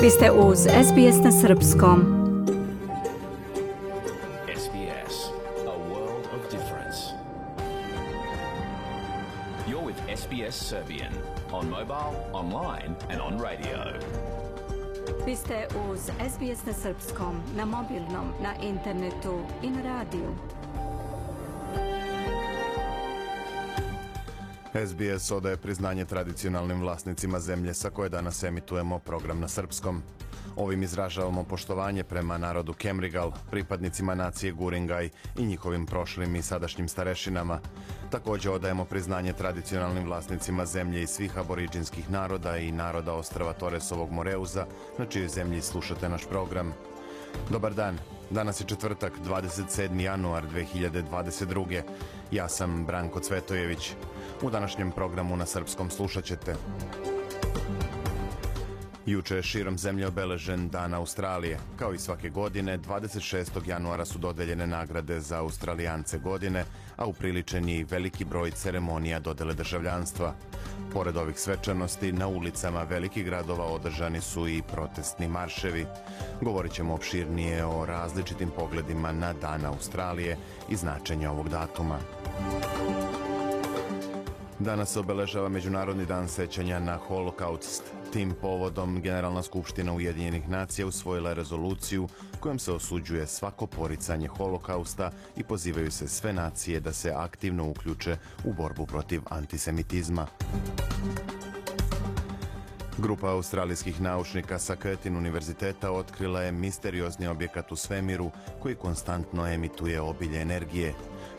Vi ste uz SBS na srpskom. SBS, a world of difference. You're with SBS Serbian on mobile, online and on radio. Vi ste uz SBS na srpskom, na mobilnom, na internetu i na radiju. SBS odaje priznanje tradicionalnim vlasnicima zemlje sa koje danas emitujemo program na srpskom. Ovim izražavamo poštovanje prema narodu Kemrigal, pripadnicima nacije Guringaj i njihovim prošlim i sadašnjim starešinama. Također odajemo priznanje tradicionalnim vlasnicima zemlje i svih aboriđinskih naroda i naroda ostrava Toresovog Moreuza, na čijoj zemlji slušate naš program. Dobar dan, danas je četvrtak, 27. januar 2022. Ja sam Branko Cvetojević. U današnjem programu na srpskom slušat ćete. Juče je širom zemlje obeležen Dan Australije. Kao i svake godine, 26. januara su dodeljene nagrade za Australijance godine, a upriličen je i veliki broj ceremonija dodele državljanstva. Pored ovih svečanosti, na ulicama velikih gradova održani su i protestni marševi. Govorit ćemo opširnije o različitim pogledima na Dan Australije i značenje ovog datuma. Danas se obeležava Međunarodni dan sećanja na Holokaust. Tim povodom Generalna skupština Ujedinjenih nacija usvojila rezoluciju kojom se osuđuje svako poricanje Holokausta i pozivaju se sve nacije da se aktivno uključe u borbu protiv antisemitizma. Grupa australijskih naučnika sa Curtin univerziteta otkrila je misteriozni objekat u svemiru koji konstantno emituje obilje energije.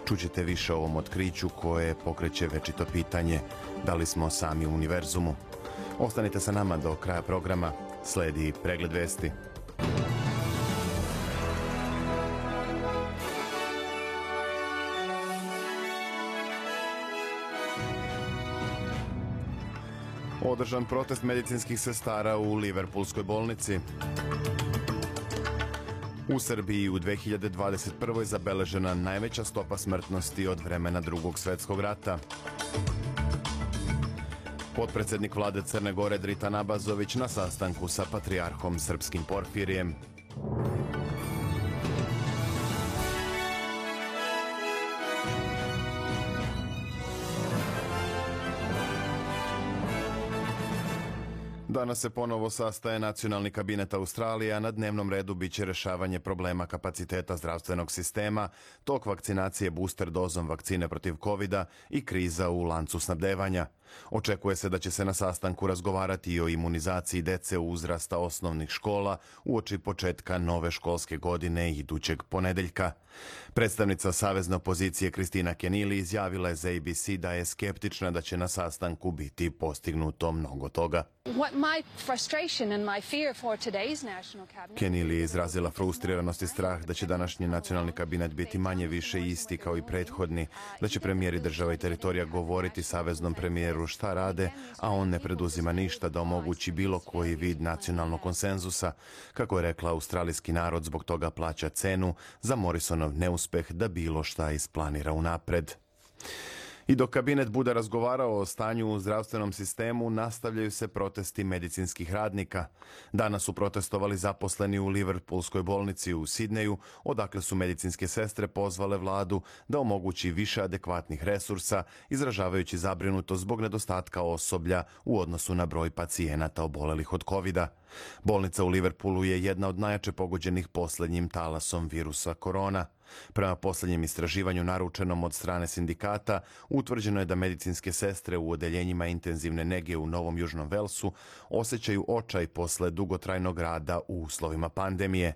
Čućete više o ovom otkriću koje pokreće večito pitanje da li smo sami u univerzumu. Ostanite sa nama do kraja programa. Sledi pregled vesti. Održan protest medicinskih sestara u Liverpoolskoj bolnici. U Srbiji u 2021. zabeležena najveća stopa smrtnosti od vremena Drugog svjetskog rata. Potpredsjednik vlade Crne Gore Dritan Abazović na sastanku sa patrijarhom srpskim Porfirijem. Danas se ponovo sastaje Nacionalni kabinet Australije, a na dnevnom redu biće rešavanje problema kapaciteta zdravstvenog sistema, tok vakcinacije booster dozom vakcine protiv covida i kriza u lancu snabdevanja. Očekuje se da će se na sastanku razgovarati i o imunizaciji dece uzrasta osnovnih škola uoči početka nove školske godine idućeg ponedeljka. Predstavnica savezne opozicije Kristina Kenili izjavila je za ABC da je skeptična da će na sastanku biti postignuto mnogo toga. Kenili je izrazila frustriranost i strah da će današnji nacionalni kabinet biti manje više isti kao i prethodni, da će premijeri država i teritorija govoriti saveznom premijeru šta rade, a on ne preduzima ništa da omogući bilo koji vid nacionalnog konsenzusa. Kako je rekla, australijski narod zbog toga plaća cenu za Morrisonov neuspeh da bilo šta isplanira unapred. I dok kabinet bude razgovarao o stanju u zdravstvenom sistemu, nastavljaju se protesti medicinskih radnika. Danas su protestovali zaposleni u Liverpoolskoj bolnici u Sidneju, odakle su medicinske sestre pozvale vladu da omogući više adekvatnih resursa, izražavajući zabrinutost zbog nedostatka osoblja u odnosu na broj pacijenata obolelih od covida. Bolnica u Liverpoolu je jedna od najjače pogođenih posljednjim talasom virusa korona. Prema posljednjem istraživanju naručenom od strane sindikata, utvrđeno je da medicinske sestre u odeljenjima intenzivne nege u Novom Južnom Velsu osjećaju očaj posle dugotrajnog rada u uslovima pandemije.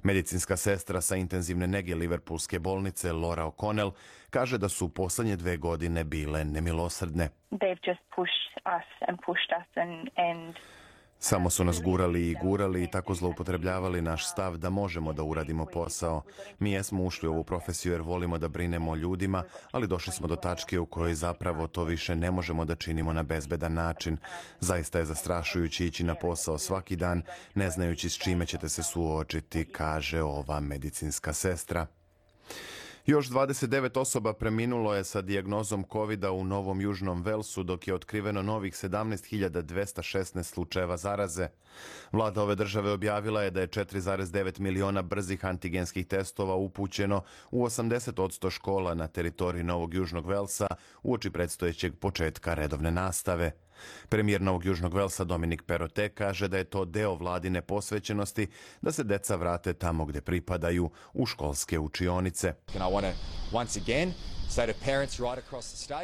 Medicinska sestra sa intenzivne nege Liverpoolske bolnice Laura O'Connell kaže da su posljednje 2 godine bile nemilosrdne. Samo su nas gurali i tako zloupotrebljavali naš stav da možemo da uradimo posao. Mi jesmo ušli u ovu profesiju jer volimo da brinemo o ljudima, ali došli smo do tačke u kojoj zapravo to više ne možemo da činimo na bezbedan način. Zaista je zastrašujuće ići na posao svaki dan, ne znajući s čime ćete se suočiti, kaže ova medicinska sestra. Još 29 osoba preminulo je sa dijagnozom COVID-a u Novom Južnom Velsu, dok je otkriveno novih 17.216 slučajeva zaraze. Vlada ove države objavila je da je 4,9 miliona brzih antigenskih testova upućeno u 80% škola na teritoriji Novog Južnog Velsa uoči predstojećeg početka redovne nastave. Premijer Novog Južnog Velsa Dominik Perrottet kaže da je to deo vladine posvećenosti da se deca vrate tamo gde pripadaju, u školske učionice.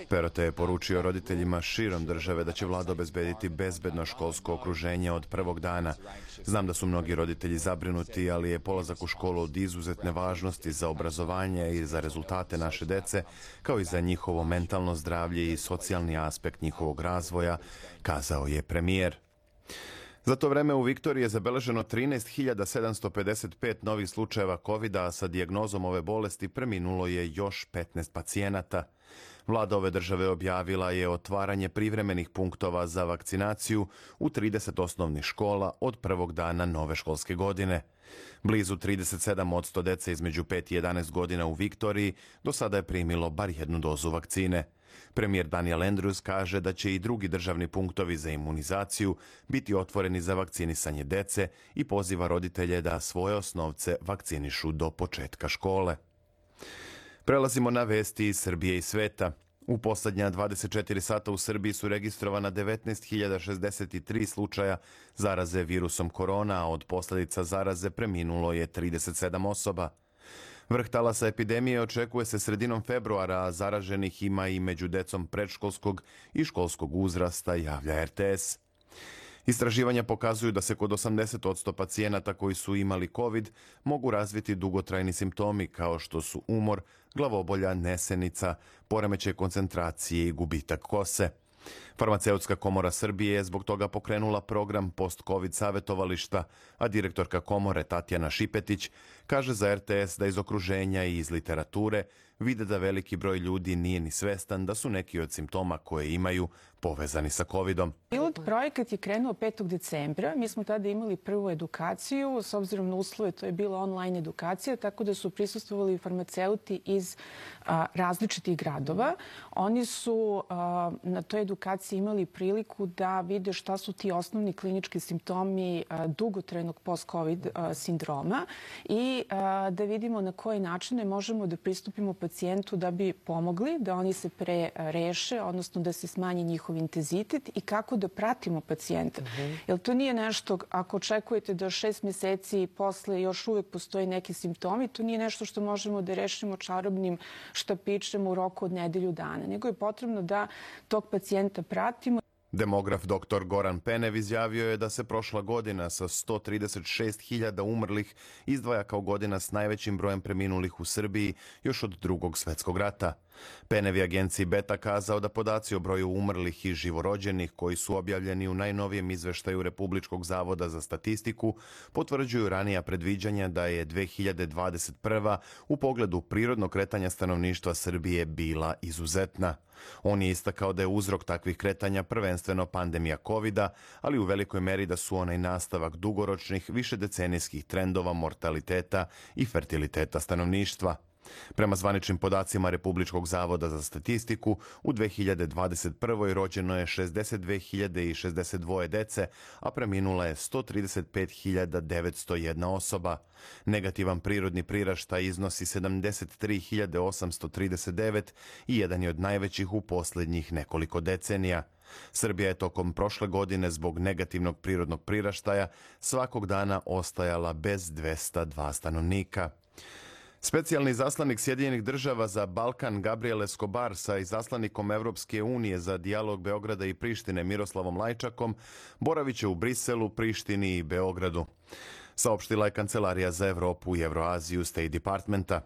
Perrottet je poručio roditeljima širom države da će vlada obezbediti bezbedno školsko okruženje od prvog dana. Znam da su mnogi roditelji zabrinuti, ali je polazak u školu od izuzetne važnosti za obrazovanje i za rezultate naše dece, kao i za njihovo mentalno zdravlje i socijalni aspekt njihovog razvoja, kazao je premijer. Za to vreme u Viktoriji je zabeleženo 13.755 novih slučajeva COVID-a, a sa dijagnozom ove bolesti preminulo je još 15 pacijenata. Vlada ove države objavila je otvaranje privremenih punktova za vakcinaciju u 30 osnovnih škola od prvog dana nove školske godine. Blizu 37% dece između 5 i 11 godina u Viktoriji do sada je primilo bar jednu dozu vakcine. Premijer Daniel Andrews kaže da će i drugi državni punktovi za imunizaciju biti otvoreni za vakcinisanje dece i poziva roditelje da svoje osnovce vakcinišu do početka škole. Prelazimo na vesti iz Srbije i sveta. U poslednja 24 sata u Srbiji su registrovana 19.063 slučaja zaraze virusom korona, a od posledica zaraze preminulo je 37 osoba. Vrh talasa epidemije očekuje se sredinom februara, a zaraženih ima i među decom predškolskog i školskog uzrasta, javlja RTS. Istraživanja pokazuju da se kod 80% pacijenata koji su imali COVID mogu razviti dugotrajni simptomi kao što su umor, glavobolja, nesenica, poremećaj koncentracije i gubitak kose. Farmaceutska komora Srbije je zbog toga pokrenula program post-COVID savjetovališta, a direktorka komore Tatjana Šipetić kaže za RTS da iz okruženja i iz literature vide da veliki broj ljudi nije ni svestan da su neki od simptoma koje imaju povezani sa COVID-om. Pilot projekat je krenuo 5. decembra. Mi smo tada imali prvu edukaciju. S obzirom na uslove, to je bila online edukacija, tako da su prisustvovali farmaceuti iz različitih gradova. Oni su na toj edukaciji imali priliku da vide šta su ti osnovni klinički simptomi dugotrajnog post-COVID sindroma i da vidimo na koje načine možemo da pristupimo pacijentu da bi pomogli, da oni se pre reše, odnosno da se smanji njihov intenzitet i kako da pratimo pacijenta. Jer to nije nešto, ako očekujete da 6 meseci posle još uvek postoji neki simptomi, to nije nešto što možemo da rešimo čarobnim štapićem u roku od nedelju dana, nego je potrebno da tog pacijenta pratimo. Demograf dr. Goran Penev izjavio je da se prošla godina sa 136.000 umrlih izdvaja kao godina s najvećim brojem preminulih u Srbiji još od Drugog svetskog rata. Penev je agenciji Beta kazao da podaci o broju umrlih i živorođenih koji su objavljeni u najnovijem izveštaju Republičkog zavoda za statistiku potvrđuju ranija predviđanja da je 2021. u pogledu prirodnog kretanja stanovništva Srbije bila izuzetna. On je istakao da je uzrok takvih kretanja prvenstveno pandemija COVID-a, ali u velikoj meri da su onaj nastavak dugoročnih, višedecenijskih trendova mortaliteta i fertiliteta stanovništva. Prema zvaničnim podacima Republičkog zavoda za statistiku, u 2021. rođeno je 62.062 dece, a preminula je 135.901 osoba. Negativan prirodni priraštaj iznosi 73.839 i jedan je od najvećih u posljednjih nekoliko decenija. Srbija je tokom prošle godine zbog negativnog prirodnog priraštaja svakog dana ostajala bez 202 stanovnika. Specijalni izaslanik Sjedinjenih država za Balkan Gabriel Escobar sa izaslanikom Evropske unije za dijalog Beograda i Prištine Miroslavom Lajčakom boravit će u Briselu, Prištini i Beogradu. Saopštila je Kancelarija za Evropu i Evroaziju State Departmenta.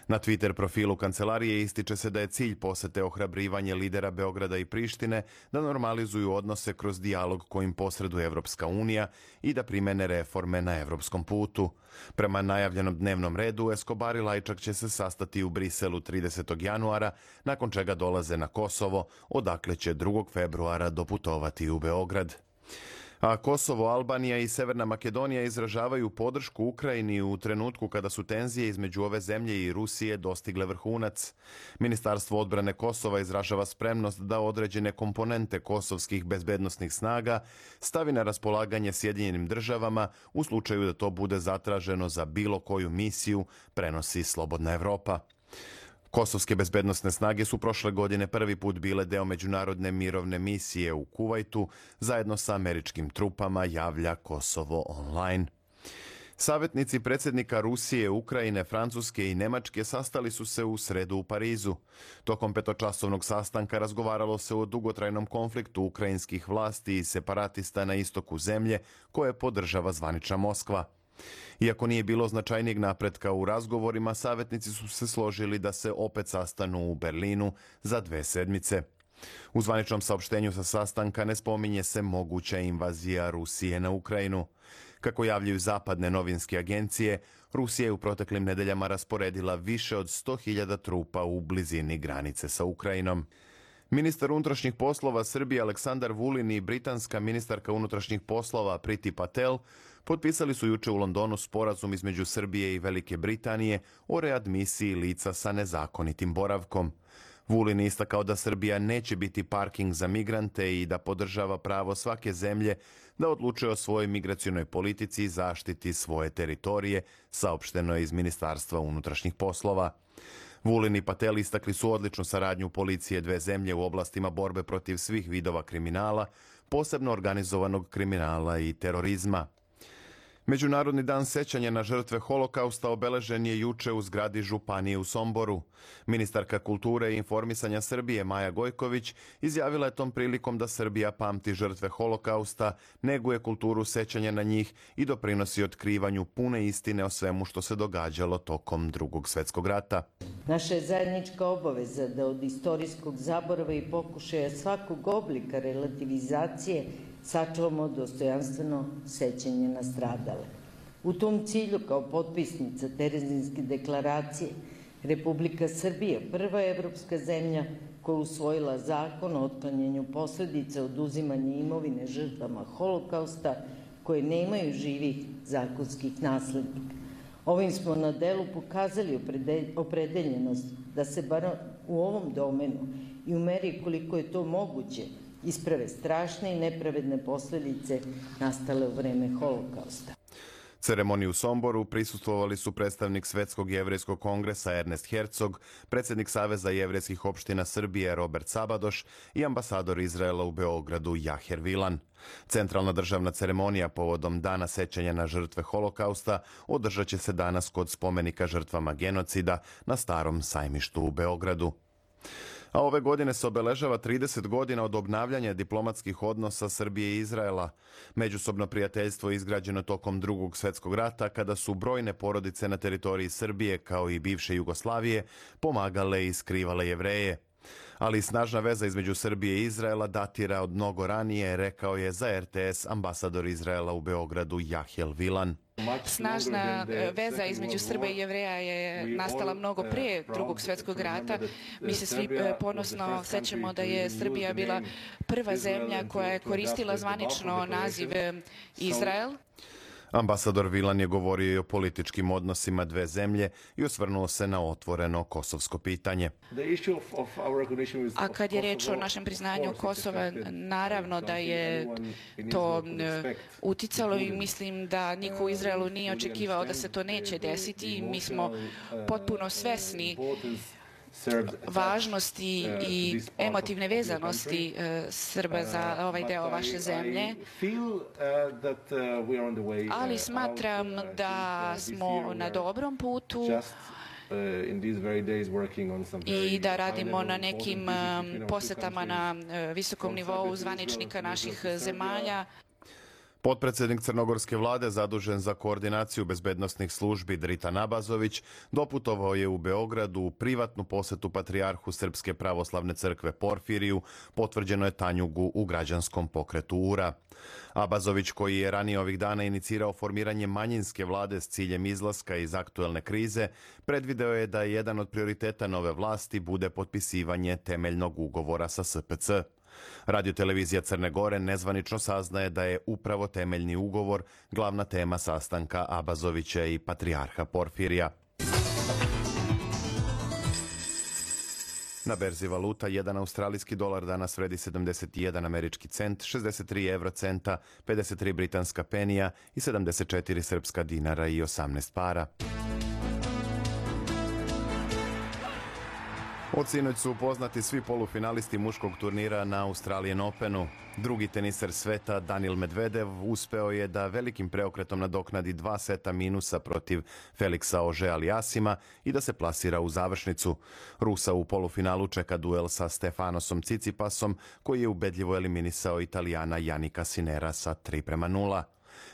Na Twitter profilu kancelarije ističe se da je cilj posete ohrabrivanje lidera Beograda i Prištine da normalizuju odnose kroz dijalog kojim posreduje Evropska unija i da primene reforme na evropskom putu. Prema najavljenom dnevnom redu, Escobar i Lajčak će se sastati u Briselu 30. januara, nakon čega dolaze na Kosovo, odakle će 2. februara doputovati u Beograd. A Kosovo, Albanija i Severna Makedonija izražavaju podršku Ukrajini u trenutku kada su tenzije između ove zemlje i Rusije dostigle vrhunac. Ministarstvo odbrane Kosova izražava spremnost da određene komponente kosovskih bezbednosnih snaga stavi na raspolaganje Sjedinjenim državama u slučaju da to bude zatraženo za bilo koju misiju, prenosi Slobodna Evropa. Kosovske bezbednosne snage su prošle godine prvi put bile deo međunarodne mirovne misije u Kuvajtu zajedno sa američkim trupama, javlja Kosovo online. Savjetnici predsjednika Rusije, Ukrajine, Francuske i Nemačke sastali su se u sredu u Parizu. Tokom petočasovnog sastanka razgovaralo se o dugotrajnom konfliktu ukrajinskih vlasti i separatista na istoku zemlje koje podržava zvanična Moskva. Iako nije bilo značajnijeg napretka u razgovorima, savjetnici su se složili da se opet sastanu u Berlinu za 2 sedmice. U zvaničnom saopštenju sa sastanka ne spominje se moguća invazija Rusije na Ukrajinu. Kako javljaju zapadne novinske agencije, Rusija je u proteklim nedeljama rasporedila više od 100.000 trupa u blizini granice sa Ukrajinom. Ministar unutrašnjih poslova Srbije Aleksandar Vulin i britanska ministarka unutrašnjih poslova Priti Patel potpisali su juče u Londonu sporazum između Srbije i Velike Britanije o readmisiji lica sa nezakonitim boravkom. Vulin je istakao da Srbija neće biti parking za migrante i da podržava pravo svake zemlje da odlučuje o svojoj migracionoj politici i zaštiti svoje teritorije, saopšteno je iz Ministarstva unutrašnjih poslova. Vulin i Patel istakli su odličnu saradnju policije 2 zemlje u oblastima borbe protiv svih vidova kriminala, posebno organizovanog kriminala i terorizma. Međunarodni dan sećanja na žrtve Holokausta obeležen je juče u zgradi Županije u Somboru. Ministarka kulture i informisanja Srbije Maja Gojković izjavila je tom prilikom da Srbija pamti žrtve Holokausta, neguje kulturu sećanja na njih i doprinosi otkrivanju pune istine o svemu što se događalo tokom Drugog svjetskog rata. Naša je zajednička obaveza da od istorijskog zaborava i pokušaja svakog oblika relativizacije sačuvamo dostojanstveno sećanje na stradale. U tom cilju, kao potpisnica Terezinske deklaracije, Republika Srbija prva je evropska zemlja koja je usvojila zakon o otklanjanju posledica oduzimanja imovine žrtvama Holokausta koje nemaju živih zakonskih naslednika. Ovim smo na delu pokazali opredeljenost da se bar u ovom domenu i u meri koliko je to moguće isprave strašne i nepravedne posljedice nastale u vreme Holokausta. Ceremoniji u Somboru prisustvovali su predstavnik Svetskog jevrejskog kongresa Ernest Herzog, predsjednik Saveza jevrejskih opština Srbije Robert Sabadoš i ambasador Izraela u Beogradu Jaher Vilan. Centralna državna ceremonija povodom Dana sećanja na žrtve Holokausta održat će se danas kod spomenika žrtvama genocida na Starom sajmištu u Beogradu. A ove godine se obeležava 30 godina od obnavljanja diplomatskih odnosa Srbije i Izraela. Međusobno prijateljstvo je izgrađeno tokom Drugog svjetskog rata, kada su brojne porodice na teritoriji Srbije, kao i bivše Jugoslavije, pomagale i skrivale Jevreje. Ali snažna veza između Srbije i Izraela datira od mnogo ranije, rekao je za RTS ambasador Izraela u Beogradu Jahel Vilan. Snažna veza između Srba i Jevreja je nastala mnogo prije Drugog svjetskog rata. Mi se svi ponosno sećamo da je Srbija bila prva zemlja koja je koristila zvanično naziv Izrael. Ambasador Vilan je govorio i o političkim odnosima 2 zemlje i osvrnuo se na otvoreno kosovsko pitanje. A kad je reč o našem priznanju Kosova, naravno da je to uticalo i mislim da niko u Izraelu nije očekivao da se to neće desiti. Mi smo potpuno svesni važnosti i emotivne vezanosti Srba za ovaj deo vaše zemlje, ali smatram da smo na dobrom putu i da radimo na nekim posetama na visokom nivou zvaničnika naših zemalja. Potpredsjednik crnogorske vlade zadužen za koordinaciju bezbednosnih službi Dritan Abazović doputovao je u Beogradu u privatnu posetu patrijarhu Srpske pravoslavne crkve Porfiriju, potvrđeno je Tanjugu u građanskom pokretu URA. Abazović, koji je ranije ovih dana inicirao formiranje manjinske vlade s ciljem izlaska iz aktuelne krize, predvideo je da jedan od prioriteta nove vlasti bude potpisivanje temeljnog ugovora sa SPC. Radiotelevizija Crne Gore nezvanično saznaje da je upravo temeljni ugovor glavna tema sastanka Abazovića i patrijarha Porfirija. Na berzi valuta, jedan australijski dolar danas vredi 71 američki cent, 63 eurocenta, 53 britanska penija i 74 srpska dinara i 18 para. Od sinoć su upoznati svi polufinalisti muškog turnira na Australian Openu. Drugi teniser sveta, Daniil Medvedev, uspeo je da velikim preokretom nadoknadi 2 seta minusa protiv Felixa Auger-Aliassima i da se plasira u završnicu. Rusa u polufinalu čeka duel sa Stefanosom Tsitsipasom, koji je ubedljivo eliminisao Italijana Jannika Sinera sa 3:0.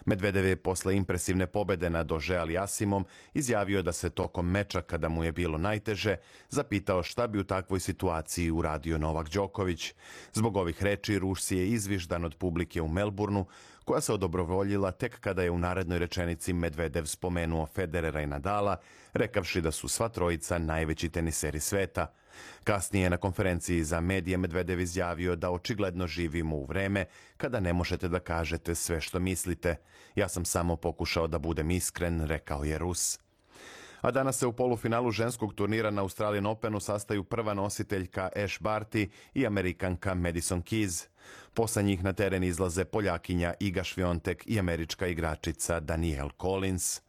Medvedev je posle impresivne pobede nad Auger-Aliassimom izjavio da se tokom meča, kada mu je bilo najteže, zapitao šta bi u takvoj situaciji uradio Novak Đoković. Zbog ovih reči Rus je izviždan od publike u Melbourneu, koja se odobrovoljila tek kada je u narednoj rečenici Medvedev spomenuo Federera i Nadala, rekavši da su sva trojica najveći teniseri sveta. Kasnije na konferenciji za medije Medvedev izjavio da očigledno živimo u vreme kada ne možete da kažete sve što mislite. Ja sam samo pokušao da budem iskren, rekao je Rus. A danas se u polufinalu ženskog turnira na Australian Openu sastaju prva nositeljka Ash Barty i Amerikanka Madison Keys. Posle njih na teren izlaze Poljakinja Iga Swiatek i američka igračica Danielle Collins.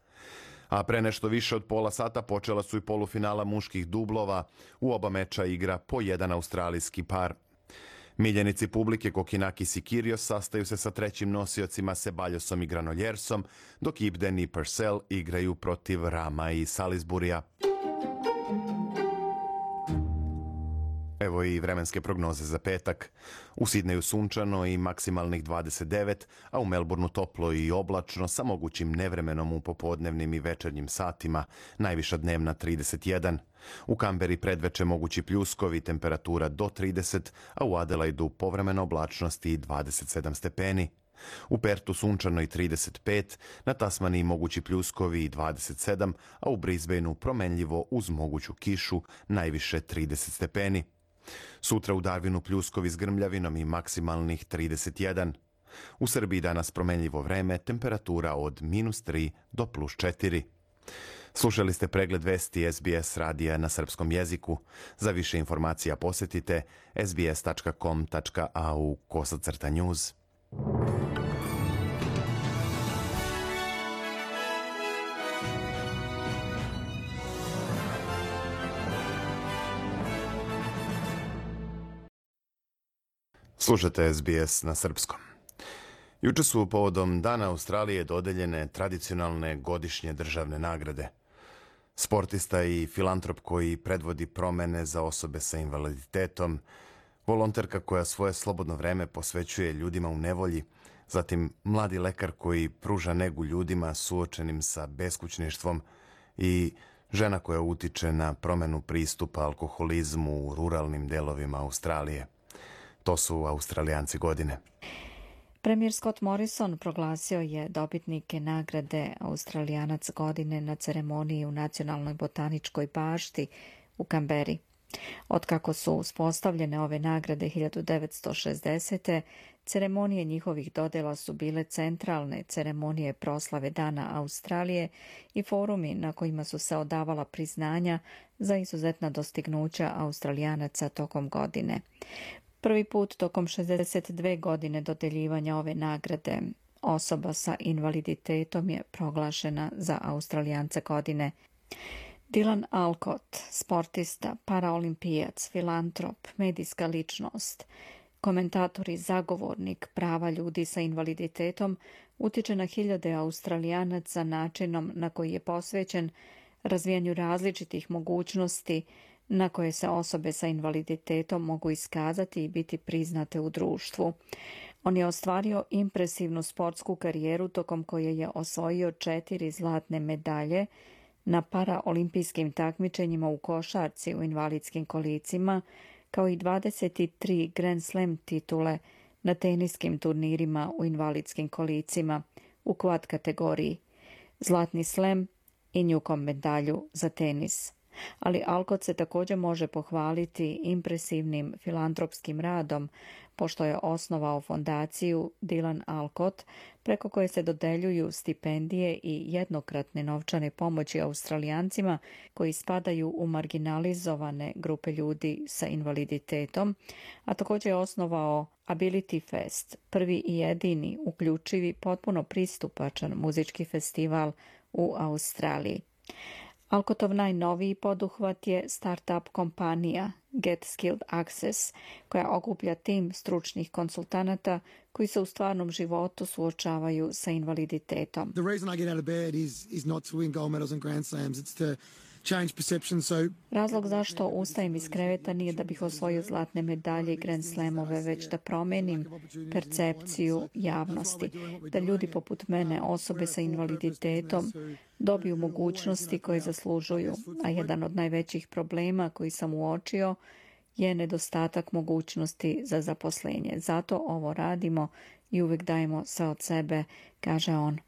A pre nešto više od pola sata počela su i polufinala muških dublova. U oba meča igra po jedan australijski par. Miljenici publike Kokinakis i Kyrgios sastaju se sa trećim nosiocima Ceballosom i Granoljersom, dok Ibden i Purcell igraju protiv Rama i Salisburija. Evo i vremenske prognoze za petak. U Sidneju sunčano i maksimalnih 29, a u Melbourneu toplo i oblačno sa mogućim nevremenom u popodnevnim i večernjim satima, najviša dnevna 31. U Kamberi predveče mogući pljuskovi, temperatura do 30, a u Adelaidu povremena oblačnost i 27 stepeni. U Pertu sunčano i 35, na Tasmaniji mogući pljuskovi i 27, a u Brisbaneu promenljivo uz moguću kišu, najviše 30 stepeni. Sutra u Darwinu pljuskovi s grmljavinom i maksimalnih 31. U Srbiji danas promenljivo vreme, temperatura od -3 do +4. Slušali ste pregled vesti SBS radija na srpskom jeziku. Za više informacija posetite sbs.com.au/news. Slušate SBS na srpskom. Juče su povodom Dana Australije dodeljene tradicionalne godišnje državne nagrade. Sportista i filantrop koji predvodi promene za osobe sa invaliditetom, volonterka koja svoje slobodno vreme posvećuje ljudima u nevolji, zatim mladi lekar koji pruža negu ljudima suočenim sa beskućništvom i žena koja utiče na promenu pristupa alkoholizmu u ruralnim delovima Australije. To su Australijanci godine. Premijer Scott Morrison proglasio je dobitnike nagrade Australijanac godine na ceremoniji u Nacionalnoj botaničkoj bašti u Kamberi. Otkako su uspostavljene ove nagrade 1960. ceremonije njihovih dodela su bile centralne ceremonije proslave Dana Australije i forumi na kojima su se odavala priznanja za izuzetna dostignuća Australijanaca tokom godine. Prvi put tokom 62 godine dodeljivanja ove nagrade osoba sa invaliditetom je proglašena za Australijanca godine. Dylan Alcott, sportista, paraolimpijac, filantrop, medijska ličnost, komentator i zagovornik prava ljudi sa invaliditetom, utiče na hiljade Australijanaca načinom na koji je posvećen razvijanju različitih mogućnosti na koje se osobe sa invaliditetom mogu iskazati i biti priznate u društvu. On je ostvario impresivnu sportsku karijeru tokom koje je osvojio 4 zlatne medalje na paraolimpijskim takmičenjima u košarci u invalidskim kolicima, kao i 23 Grand Slam titule na teniskim turnirima u invalidskim kolicima u quad kategoriji, zlatni slam i Newcomb medalju za tenis. Ali Alcott se također može pohvaliti impresivnim filantropskim radom, pošto je osnovao fondaciju Dylan Alcott, preko koje se dodeljuju stipendije i jednokratne novčane pomoći Australijancima koji spadaju u marginalizovane grupe ljudi sa invaliditetom, a također je osnovao Ability Fest, prvi i jedini uključivi potpuno pristupačan muzički festival u Australiji. Alcottov najnoviji poduhvat je start-up kompanija Get Skilled Access, koja okuplja tim stručnih konsultanata koji se u stvarnom životu suočavaju sa invaliditetom. The reason I get out of bed is not to win gold medals and Grand Slams, it's to change perception. Razlog zašto ustajem iz kreveta nije da bih osvojio zlatne medalje i Grand Slamove, već da promenim percepciju javnosti, da ljudi poput mene, osobe sa invaliditetom, dobiju mogućnosti koje zaslužuju, a jedan od najvećih problema koji sam uočio je nedostatak mogućnosti za zaposlenje. Zato ovo radimo i uvijek dajemo sve od sebe, kaže on.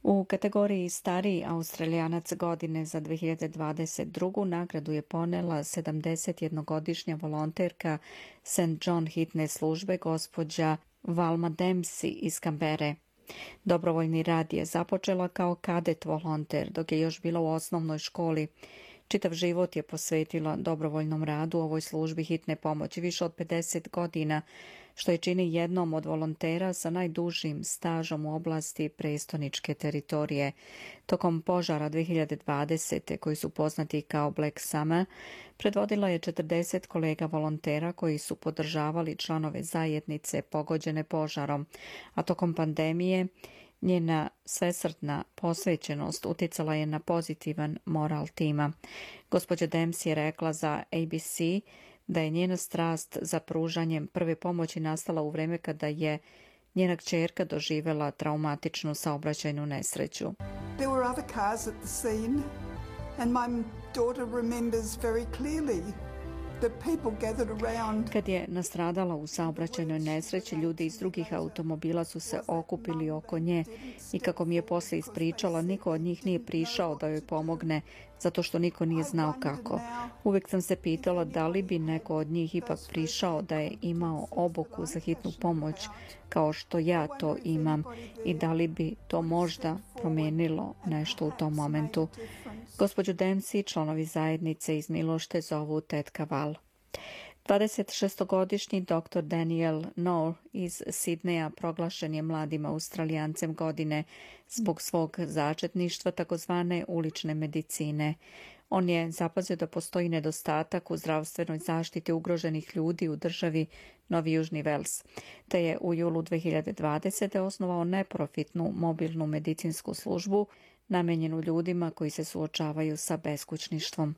U kategoriji stariji Australijanac godine za 2022. nagradu je ponela 71-godišnja volonterka St. John hitne službe gospođa Valma Dempsey iz Kambere. Dobrovoljni rad je započela kao kadet volonter dok je još bila u osnovnoj školi. Čitav život je posvetila dobrovoljnom radu u ovoj službi hitne pomoći više od 50 godina, što je čini jednom od volontera sa najdužim stažom u oblasti prestoničke teritorije. Tokom požara 2020. koji su poznati kao Black Summer, predvodila je 40 kolega volontera koji su podržavali članove zajednice pogođene požarom, a tokom pandemije njena svesrdna posvećenost utjecala je na pozitivan moral tima. Gospođa Dempsey je rekla za ABC da je njena strast za pružanjem prve pomoći nastala u vrijeme kada je njena kćerka doživjela traumatičnu saobraćajnu nesreću. There were other cars at the scene and my daughter remembers very clearly. Kad je nastradala u saobraćajnoj nesreći, ljudi iz drugih automobila su se okupili oko nje i kako mi je poslije ispričala, niko od njih nije prišao da joj pomogne zato što niko nije znao kako. Uvijek sam se pitala da li bi neko od njih ipak prišao da je imao obuku za hitnu pomoć kao što ja to imam i da li bi to možda promijenilo nešto u tom momentu. Gospođu Dempsey članovi zajednice iz Milošte zovu tetka Val. 26-godišnji dr. Daniel Noor iz Sidneja proglašen je mladim Australijancem godine zbog svog začetništva takozvane ulične medicine. On je zapazio da postoji nedostatak u zdravstvenoj zaštiti ugroženih ljudi u državi Novi Južni Vels, te je u julu 2020. osnovao neprofitnu mobilnu medicinsku službu namenjenu ljudima koji se suočavaju sa beskućništvom.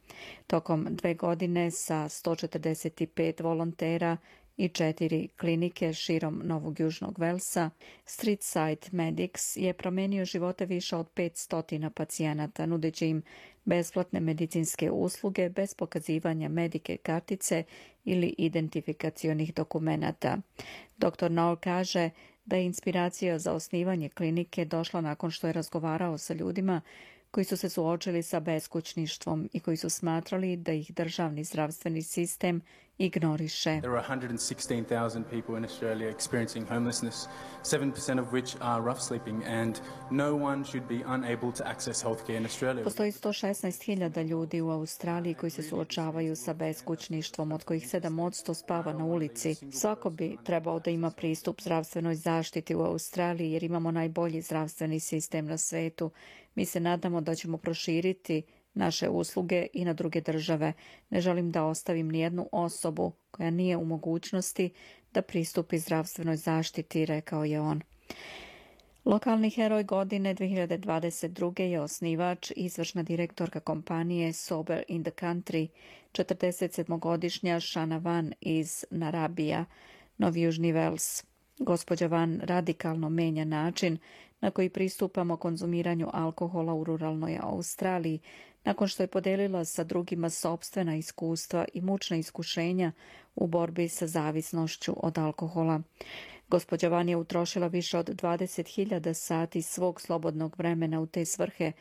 Tokom 2 godine sa 145 volontera i 4 klinike širom Novog Južnog Velsa, Streetside Medics je promijenio živote više od 500 pacijenata, nudeći im besplatne medicinske usluge bez pokazivanja medike kartice ili identifikacionih dokumenata. Dr. Noor kaže da je inspiracija za osnivanje klinike došla nakon što je razgovarao sa ljudima koji su se suočili sa beskućništvom i koji su smatrali da ih državni zdravstveni sistem ignoriše. There are 116,000 people in Australia experiencing homelessness, 7% of which are rough sleeping, and no one should be unable to access healthcare in Australia. Postoji 116.000 ljudi u Australiji koji se suočavaju sa beskućništvom, od kojih 7% spava na ulici. Svako bi trebao da ima pristup zdravstvenoj zaštiti u Australiji jer imamo najbolji zdravstveni sistem na svetu. Mi se nadamo da ćemo proširiti naše usluge i na druge države. Ne želim da ostavim nijednu osobu koja nije u mogućnosti da pristupi zdravstvenoj zaštiti, rekao je on. Lokalni heroj godine 2022. je osnivač i izvršna direktorka kompanije Sober in the Country, 47-godišnja Shana Van iz Narabija, Novi Južni Vels. Gospođa Van radikalno menja način na koji pristupamo konzumiranju alkohola u ruralnoj Australiji, nakon što je podelila sa drugima sopstvena iskustva i mučna iskušenja u borbi sa zavisnošću od alkohola. Gospođa Van je utrošila više od 20.000 sati svog slobodnog vremena u te svrhe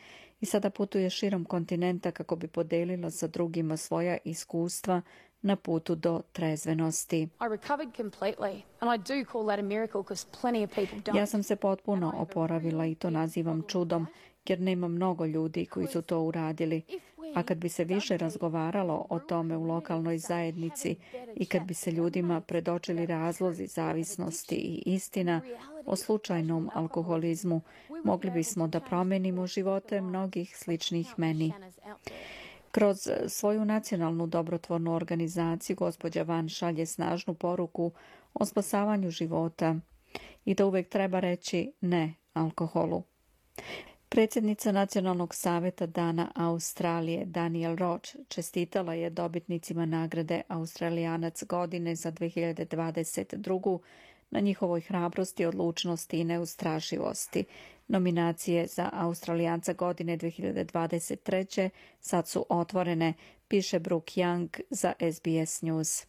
i sada putuje širom kontinenta kako bi podelila sa drugima svoja iskustva na putu do trezvenosti. Ja sam se potpuno oporavila i to nazivam čudom, jer nema mnogo ljudi koji su to uradili. A kad bi se više razgovaralo o tome u lokalnoj zajednici i kad bi se ljudima predočili razlozi zavisnosti i istina o slučajnom alkoholizmu, mogli bismo da promenimo živote mnogih sličnih meni. Kroz svoju nacionalnu dobrotvornu organizaciju gospođa Van šalje snažnu poruku o spasavanju života i da uvek treba reći ne alkoholu. Predsjednica Nacionalnog saveta Dana Australije Daniel Roach čestitala je dobitnicima nagrade Australijanac godine za 2022. na njihovoj hrabrosti, odlučnosti i neustrašivosti. Nominacije za Australijanca godine 2023. sad su otvorene, piše Brooke Young za SBS News.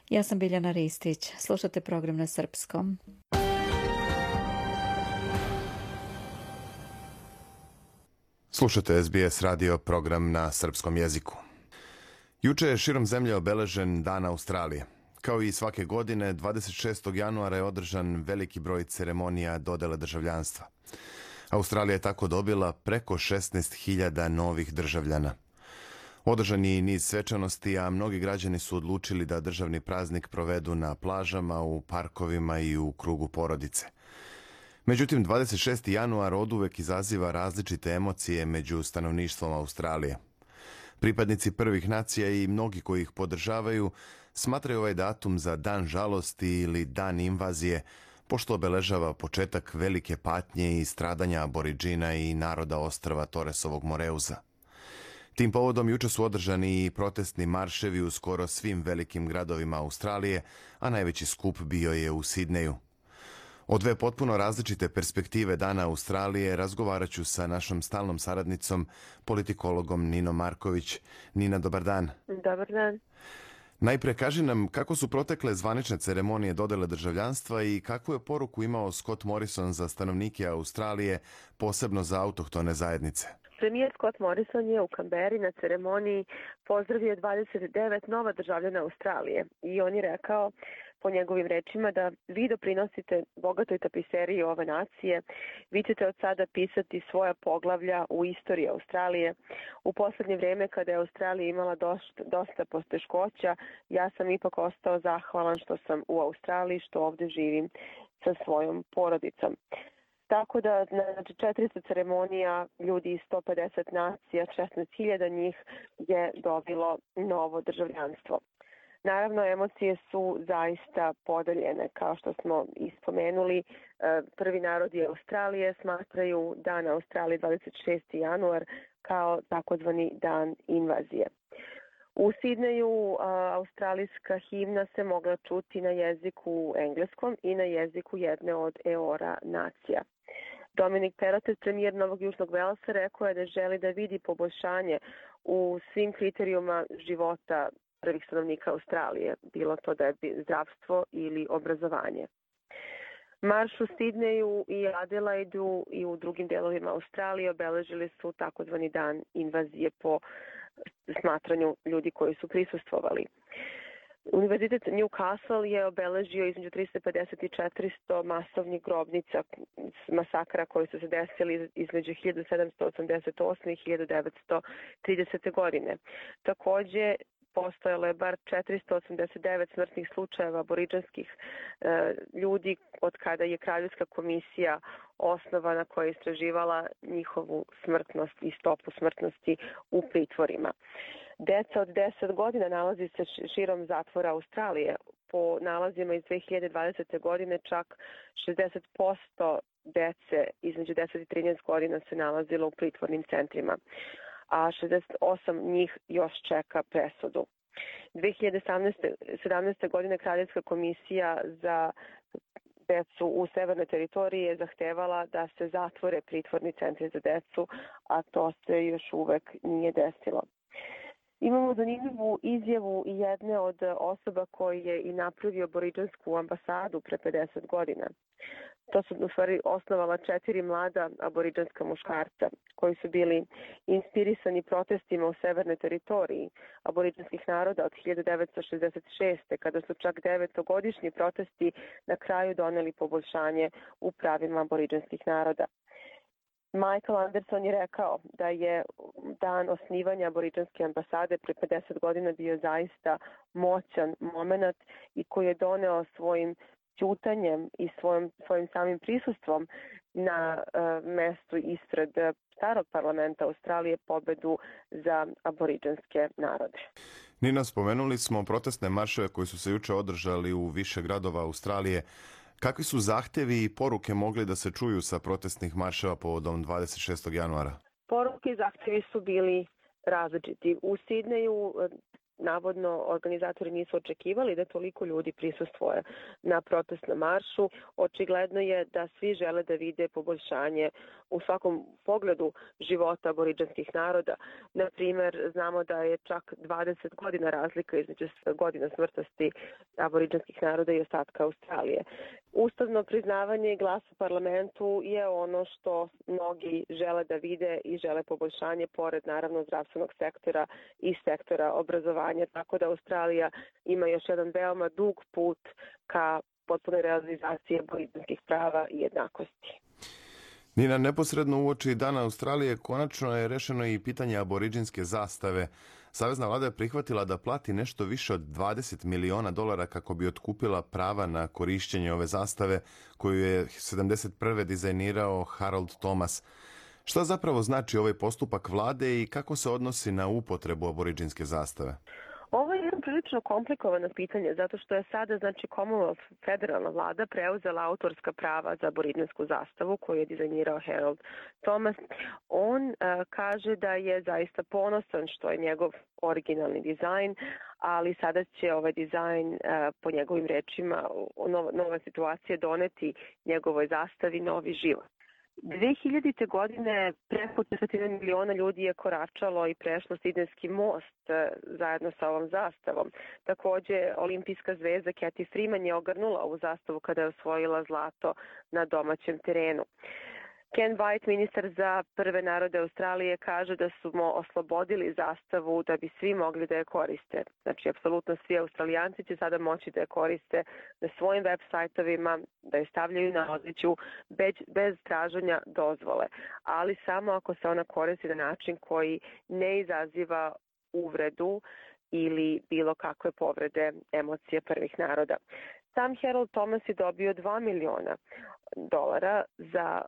Ja sam Biljana Ristić. Slušate program na srpskom. Slušate SBS radio program na srpskom jeziku. Juče je širom zemlje obeležen Dan Australije. Kao i svake godine, 26. januara je održan veliki broj ceremonija dodele državljanstva. Australija je tako dobila preko 16.000 novih državljana. Održan je i niz svečanosti, a mnogi građani su odlučili da državni praznik provedu na plažama, u parkovima i u krugu porodice. Međutim, 26. januar oduvek izaziva različite emocije među stanovništvom Australije. Pripadnici prvih nacija i mnogi koji ih podržavaju smatraju ovaj datum za dan žalosti ili dan invazije, pošto obeležava početak velike patnje i stradanja aboriđina i naroda ostrva Torresovog Moreuza. Tim povodom juče su održani i protestni marševi u skoro svim velikim gradovima Australije, a najveći skup bio je u Sidneju. O dve potpuno različite perspektive Dana Australije razgovarat ću sa našom stalnom saradnicom, politikologom Ninom Marković. Nina, dobar dan. Dobar dan. Najpre kaži nam kako su protekle zvanične ceremonije dodele državljanstva i kakvu je poruku imao Scott Morrison za stanovnike Australije, posebno za autohtone zajednice. Premijer Scott Morrison je u Kamberi na ceremoniji pozdravio 29 nova državljana Australije i on je rekao, po njegovim rečima, da vi doprinosite bogatoj tapiseriji ove nacije, vi ćete od sada pisati svoja poglavlja u istoriji Australije. U poslednje vreme, kada je Australija imala dosta poteškoća, ja sam ipak ostao zahvalan što sam u Australiji, što ovde živim sa svojom porodicom. Tako da, znači, 400 ceremonija, ljudi iz 150 nacija, 16.000 njih je dobilo novo državljanstvo. Naravno, emocije su zaista podeljene, kao što smo ispomenuli. Prvi narodi Australije smatraju Dan Australije 26. januar kao takozvani dan invazije. U Sidneju australijska himna se mogla čuti na jeziku engleskom i na jeziku jedne od Eora nacija. Dominic Perrottet, premijer Novog Južnog Velsa, rekao je da želi da vidi poboljšanje u svim kriterijuma života prvih stanovnika Australije, bilo to da je zdravstvo ili obrazovanje. Marš u Sidneju i Adelaidu i u drugim delovima Australije obeležili su takozvani dan invazije po smatranju ljudi koji su prisustvovali. Univerzitet Newcastle je obeležio između 350 i 400 masovnih grobnica masakra koji su se desili između 1788. i 1930. godine. Takođe, postojalo je bar 489 smrtnih slučajeva aboriđanskih ljudi od kada je Kraljevska komisija osnovana koja je istraživala njihovu smrtnost i stopu smrtnosti u pritvorima. Deca od 10 godina nalazi se širom zatvora Australije. Po nalazima iz 2020. godine čak 60% dece između 10 i 13 godina se nalazilo u pritvornim centrima, a 68 njih još čeka presudu. 2017. godine Kraljevska komisija za decu u severnoj teritoriji je zahtevala da se zatvore pritvorni centri za decu, a to se još uvek nije desilo. Imamo zanimljivu izjavu jedne od osoba koji je i napravio aboriđansku ambasadu pre 50 godina. To su u stvari osnovala 4 mlada aboriđanska muškarca koji su bili inspirisani protestima u severnoj teritoriji aboriđanskih naroda od 1966. kada su čak 9-godišnji protesti na kraju doneli poboljšanje u pravima aboriđanskih naroda. Michael Anderson je rekao da je dan osnivanja aboriđanske ambasade pre 50 godina bio zaista moćan moment i koji je doneo svojim ćutanjem i svojim samim prisustvom na mestu ispred starog parlamenta Australije pobedu za aboriđanske narode. Nina, spomenuli smo protestne marševe koji su se juče održali u više gradova Australije. Kakvi su zahtjevi i poruke mogli da se čuju sa protestnih marševa povodom 26. januara? Poruke i zahtjevi su bili različiti. U Sidneju navodno organizatori nisu očekivali da toliko ljudi prisustvuje na protestnom maršu. Očigledno je da svi žele da vide poboljšanje u svakom pogledu života aboriđanskih naroda. Na primer, znamo da je čak 20 godina razlika između godina smrtnosti aboriđanskih naroda i ostatka Australije. Ustavno priznavanje i glas u parlamentu je ono što mnogi žele da vide i žele poboljšanje pored naravno zdravstvenog sektora i sektora obrazovanja, tako da Australija ima još jedan veoma dug put ka potpunoj realizaciji aboriđanskih prava i jednakosti. Nina, neposredno uoči Dana Australije konačno je rešeno i pitanje aboriđinske zastave. Savezna vlada je prihvatila da plati nešto više od $20 miliona kako bi otkupila prava na korišćenje ove zastave koju je 1971. dizajnirao Harold Thomas. Šta zapravo znači ovaj postupak vlade i kako se odnosi na upotrebu aboriđinske zastave? Ovo je jedno prilično komplikovano pitanje, zato što je sada, Commonwealth federalna vlada preuzela autorska prava za aboriđinsku zastavu koju je dizajnirao Harold Thomas. On kaže da je zaista ponosan što je njegov originalni dizajn, ali sada će ovaj dizajn, po njegovim rečima, nova situacija doneti njegovoj zastavi novi život. 2000. godine preko 40 miliona ljudi je koračalo i prešlo Sidnejski most zajedno sa ovom zastavom. Takođe, olimpijska zvezda Cathy Freeman je ogrnula ovu zastavu kada je osvojila zlato na domaćem terenu. Ken White, ministar za prve narode Australije, kaže da smo oslobodili zastavu da bi svi mogli da je koriste. Znači, apsolutno svi Australijanci će sada moći da je koriste na svojim web sajtovima, da je stavljaju na odličju bez traženja dozvole, ali samo ako se ona koristi na način koji ne izaziva uvredu ili bilo kakve povrede emocije prvih naroda. Sam Harold Thomas je dobio $2 miliona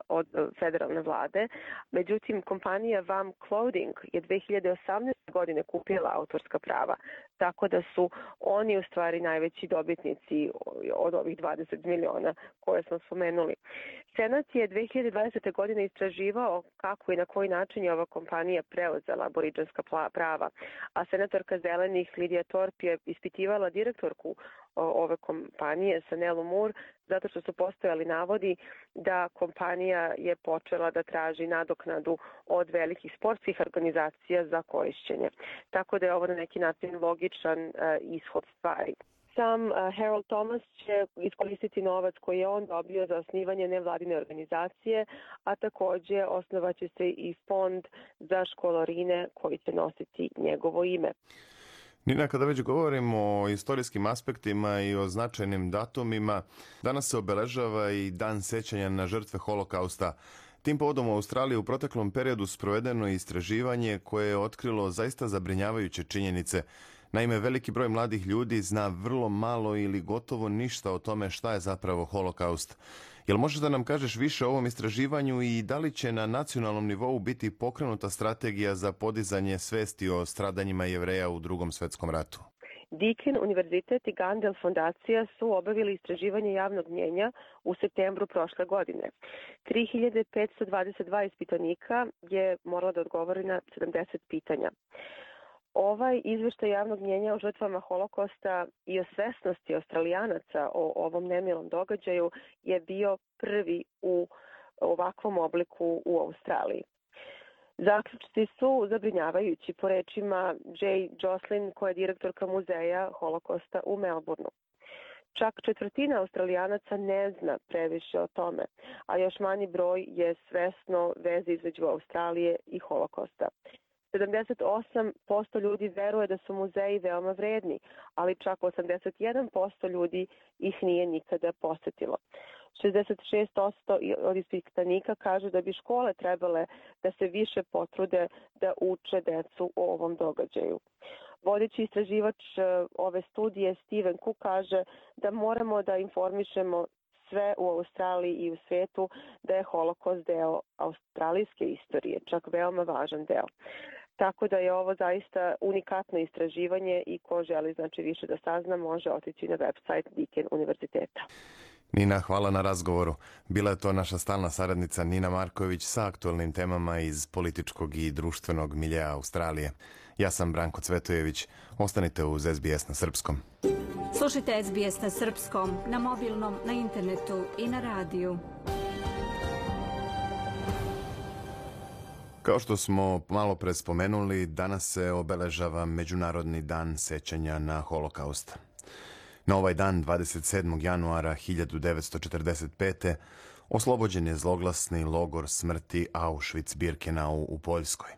od federalne vlade. Međutim, kompanija VAM Clothing je 2018. godine kupila autorska prava, tako da su oni u stvari najveći dobitnici od ovih 20 miliona koje smo spomenuli. Senat je 2020. godine istraživao kako i na koji način je ova kompanija preuzela aboriđanska prava, a senatorka Zelenih Lidija Thorpe je ispitivala direktorku ove kompanije, Sanelu Moore, zato što su postojali navodi da kompanija je počela da traži nadoknadu od velikih sportskih organizacija za korišćenje. Tako da je ovo na neki način logičan ishod stvari. Sam Harold Thomas će iskoristiti novac koji je on dobio za osnivanje nevladine organizacije, a takođe osnovaće se i fond za školarine koji će nositi njegovo ime. Nina, kada već govorimo o istorijskim aspektima i o značajnim datumima, danas se obeležava i Dan sećanja na žrtve Holokausta. Tim povodom u Australiji u proteklom periodu sprovedeno je istraživanje koje je otkrilo zaista zabrinjavajuće činjenice. Naime, veliki broj mladih ljudi zna vrlo malo ili gotovo ništa o tome šta je zapravo Holokaust. Jel možeš da nam kažeš više o ovom istraživanju i da li će na nacionalnom nivou biti pokrenuta strategija za podizanje svesti o stradanjima Jevreja u Drugom svetskom ratu? Deakin univerzitet i Gandel fondacija su obavili istraživanje javnog mnjenja u septembru prošle godine. 3522 ispitanika je moralo da odgovori na 70 pitanja. Ovaj izveštaj javnog mnjenja o žrtvama Holokosta i o svesnosti Australijanaca o ovom nemilom događaju je bio prvi u ovakvom obliku u Australiji. Zaključci su zabrinjavajući po rečima Jay Jocelyn, koja je direktorka muzeja Holokosta u Melbourneu. Čak četvrtina Australijanaca ne zna previše o tome, a još manji broj je svesno veze između Australije i Holokosta. 78% ljudi veruje da su muzeji veoma vredni, ali čak 81% ljudi ih nije nikada posetilo. 66% od ispitanika kažu da bi škole trebale da se više potrude da uče decu o ovom događaju. Vodeći istraživač ove studije Steven Cook kaže da moramo da informišemo sve u Australiji i u svetu da je Holokost deo australijske istorije, čak veoma važan deo. Tako da je ovo zaista unikatno istraživanje i ko želi više da sazna može otići na website Deakin univerziteta. Nina, hvala na razgovoru. Bila je to naša stalna saradnica Nina Marković sa aktualnim temama iz političkog i društvenog miljeja Australije. Ja sam Branko Cvetojević. Ostanite uz SBS na srpskom. Slušajte SBS na srpskom, na mobilnom, na internetu i na radiju. Kao što smo malo pre spomenuli, danas se obeležava Međunarodni dan sećanja na Holokaust. Na ovaj dan, 27. januara 1945. oslobođen je zloglasni logor smrti Auschwitz-Birkenau u Poljskoj.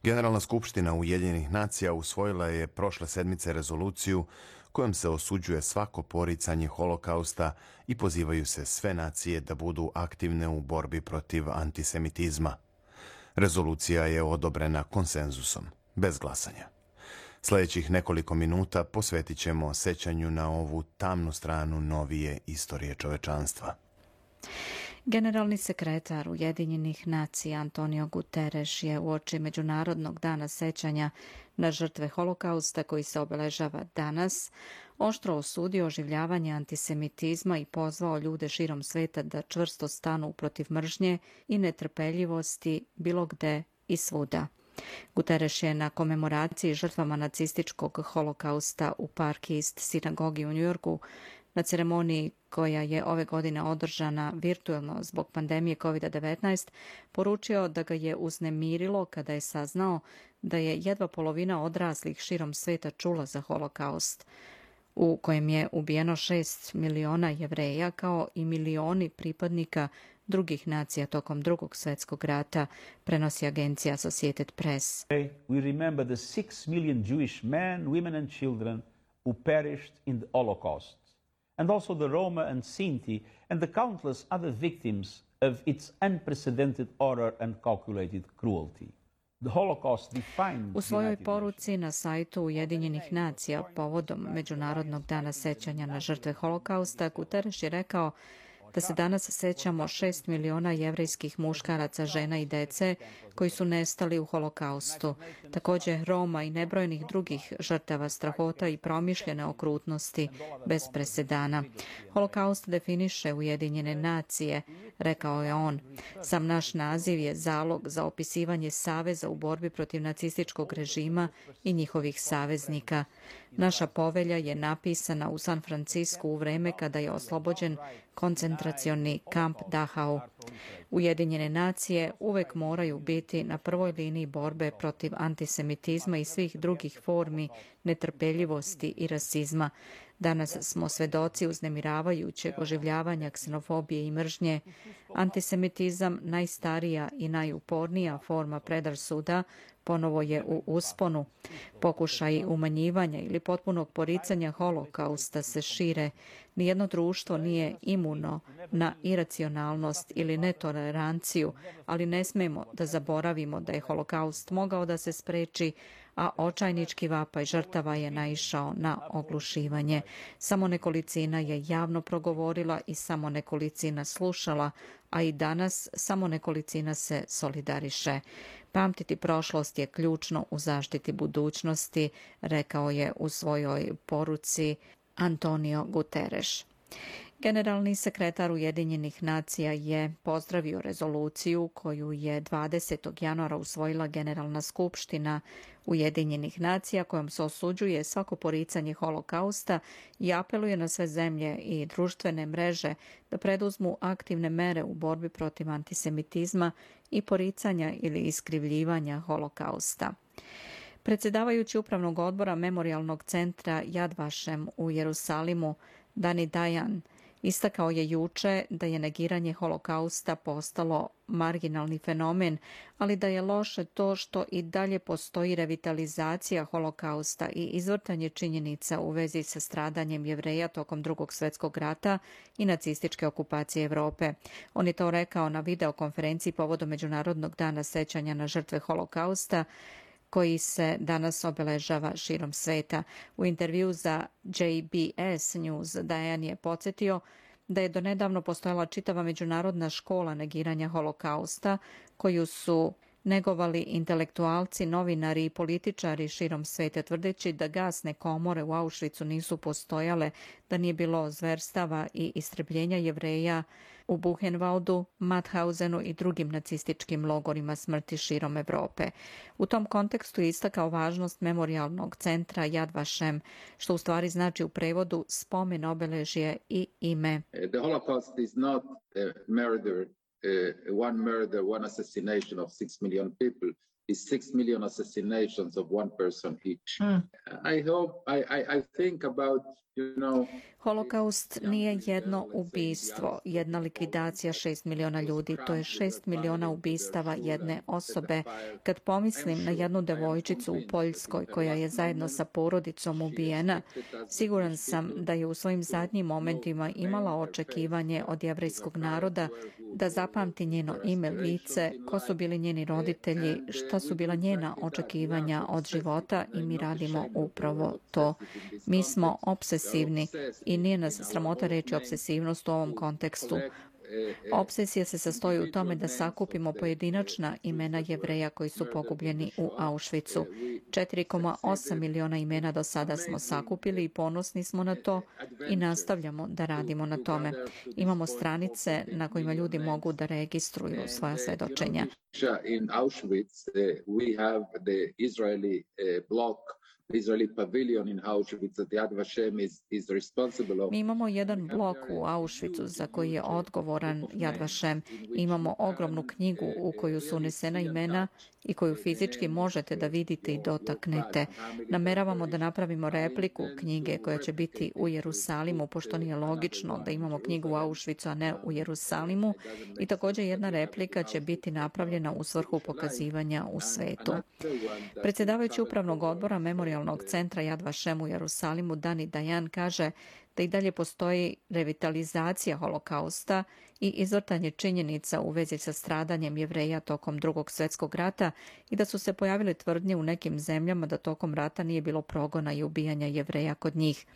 Generalna skupština Ujedinjenih nacija usvojila je prošle sedmice rezoluciju kojom se osuđuje svako poricanje Holokausta i pozivaju se sve nacije da budu aktivne u borbi protiv antisemitizma. Rezolucija je odobrena konsenzusom, bez glasanja. Sljedećih nekoliko minuta posvetit ćemo sećanju na ovu tamnu stranu novije istorije čovečanstva. Generalni sekretar Ujedinjenih nacija Antonio Guterres je uoči Međunarodnog dana sećanja na žrtve Holokausta koji se obeležava danas oštro osudio oživljavanje antisemitizma i pozvao ljude širom sveta da čvrsto stanu protiv mržnje i netrpeljivosti bilo gde i svuda. Guterres je na komemoraciji žrtvama nacističkog Holokausta u Park East sinagogi u Njujorku na ceremoniji koja je ove godine održana virtuelno zbog pandemije COVID-19, poručio da ga je uznemirilo kada je saznao da je jedva polovina odraslih širom sveta čula za Holokaust, u kojem je ubijeno 6 miliona Jevreja kao i milioni pripadnika drugih nacija tokom Drugog svjetskog rata, prenosi agencija Associated Press. We remember the 6 million Jewish men, women and children who perished in the Holocaust, and also the Roma and Sinti and the countless other victims of its unprecedented horror and calculated cruelty. U svojoj poruci na sajtu Ujedinjenih nacija povodom Međunarodnog dana sećanja na žrtve Holokausta, Guterres je rekao da se danas sećamo 6 miliona jevrejskih muškaraca, žena i dece koji su nestali u Holokaustu. Također Roma i nebrojenih drugih žrtava strahota i promišljene okrutnosti bez presedana. Holokaust definiše Ujedinjene nacije, rekao je on. Sam naš naziv je zalog za opisivanje saveza u borbi protiv nacističkog režima i njihovih saveznika. Naša povelja je napisana u San Francisku u vreme kada je oslobođen koncentracioni kamp Dachau. Ujedinjene nacije uvek moraju biti na prvoj liniji borbe protiv antisemitizma i svih drugih formi netrpeljivosti i rasizma. Danas smo svedoci uznemiravajućeg oživljavanja ksenofobije i mržnje. Antisemitizam, najstarija i najupornija forma predrasuda, ponovo je u usponu. Pokušaji umanjivanja ili potpunog poricanja Holokausta se šire. Nijedno društvo nije imuno na iracionalnost ili netoleranciju, ali ne smemo da zaboravimo da je Holokaust mogao da se spreči, a očajnički vapaj žrtava je naišao na oglušivanje. Samo nekolicina je javno progovorila i samo nekolicina slušala, a i danas samo nekolicina se solidariše. Pamtiti prošlost je ključno u zaštiti budućnosti, rekao je u svojoj poruci Antonio Guterres. Generalni sekretar Ujedinjenih nacija je pozdravio rezoluciju koju je 20. januara usvojila Generalna skupština Ujedinjenih nacija kojom se osuđuje svako poricanje Holokausta i apeluje na sve zemlje i društvene mreže da preduzmu aktivne mere u borbi protiv antisemitizma i poricanja ili iskrivljivanja Holokausta. Predsjedavajući upravnog odbora Memorijalnog centra Yad Vashem u Jerusalimu, Dani Dayan, istakao je juče da je negiranje holokausta postalo marginalni fenomen, ali da je loše to što i dalje postoji revitalizacija holokausta i izvrtanje činjenica u vezi sa stradanjem Jevreja tokom Drugog svjetskog rata i nacističke okupacije Evrope. On je to rekao na videokonferenciji povodom Međunarodnog dana sećanja na žrtve holokausta, koji se danas obeležava širom sveta. U intervju za JBS News Dayan je podsjetio da je donedavno postojala čitava međunarodna škola negiranja holokausta, koju su negovali intelektualci, novinari i političari širom sveta, tvrdeći da gasne komore u Auschwitzu nisu postojale, da nije bilo zverstava i istrebljenja Jevreja u Buchenwaldu, Mauthausenu i drugim nacističkim logorima smrti širom Evrope. U tom kontekstu je istakao važnost memorijalnog centra Yad Vashem, što u stvari znači u prevodu spomen, obeležje i ime. The Holocaust is not a murder, one assassination of 6 million people. Is 6 million assassinations of one person each. I think about, Holokaust nije jedno ubistvo, jedna likvidacija 6 miliona ljudi. To je 6 miliona ubistava jedne osobe. Kad pomislim na jednu devojčicu u Poljskoj koja je zajedno sa porodicom ubijena, siguran sam da je u svojim zadnjim momentima imala očekivanje od jevrejskog naroda da zapamti njeno ime, lice, ko su bili njeni roditelji, šta su bila njena očekivanja od života i mi radimo upravo to. Mi smo obsesivni i nije nas sramota reći obsesivnost u ovom kontekstu. Obsesija se sastoji u tome da sakupimo pojedinačna imena Jevreja koji su pogubljeni u Auschwitzu. 4,8 miliona imena do sada smo sakupili i ponosni smo na to i nastavljamo da radimo na tome. Imamo stranice na kojima ljudi mogu da registruju svoja svedočenja. In Auschwitz, we have the Israeli block, Israeli pavilion in Auschwitz that Yad Vashem is responsible of. Mi imamo jedan blok u Auschwitzu za koji je odgovoran Yad Vashem. Imamo ogromnu knjigu u koju su unesena imena i koju fizički možete da vidite i dotaknete. Nameravamo da napravimo repliku knjige koja će biti u Jerusalimu, pošto nije logično da imamo knjigu u Auschwitzu, a ne u Jerusalimu. I također jedna replika će biti napravljena u svrhu pokazivanja u svetu. Predsjedavajući upravnog odbora Memorijalnog centra Yad Vashem u Jerusalimu, Dani Dayan, kaže da i dalje postoji revitalizacija holokausta i izvrtanje činjenica u vezi sa stradanjem Jevreja tokom Drugog svjetskog rata i da su se pojavile tvrdnje u nekim zemljama da tokom rata nije bilo progona i ubijanja Jevreja kod njih.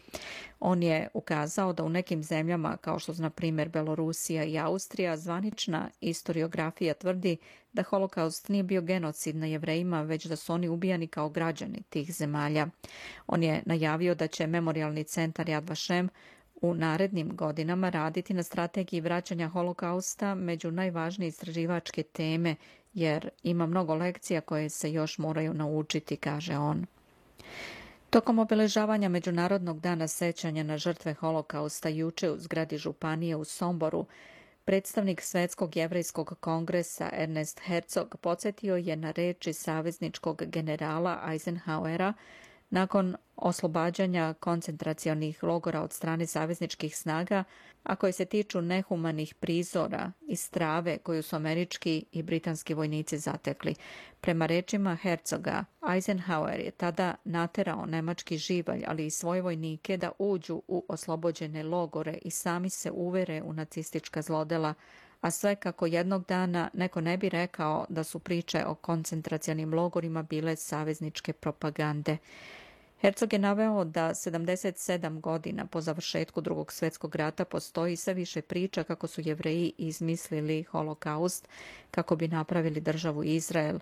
On je ukazao da u nekim zemljama, kao što su na primjer Belorusija i Austrija, zvanična historiografija tvrdi da holokaust nije bio genocid na Jevrejima, već da su oni ubijani kao građani tih zemalja. On je najavio da će Memorijalni centar Yad Vashem u narednim godinama raditi na strategiji vraćanja holokausta među najvažnije istraživačke teme, jer ima mnogo lekcija koje se još moraju naučiti, kaže on. Tokom obeležavanja Međunarodnog dana sećanja na žrtve holokausta juče u zgradi županije u Somboru, predstavnik Svetskog jevrejskog kongresa Ernest Herzog podsjetio je na reči savezničkog generala Eisenhowera nakon oslobađanja koncentracionih logora od strane savezničkih snaga, a koje se tiču nehumanih prizora i strave koju su američki i britanski vojnici zatekli. Prema rečima Herzoga, Eisenhower je tada naterao nemački živalj, ali i svoje vojnike da uđu u oslobođene logore i sami se uvere u nacistička zlodela, a sve kako jednog dana neko ne bi rekao da su priče o koncentracionim logorima bile savezničke propagande. Herzog je naveo da 77 godina po završetku Drugog svjetskog rata postoji sve više priča kako su Jevreji izmislili holokaust kako bi napravili državu Izrael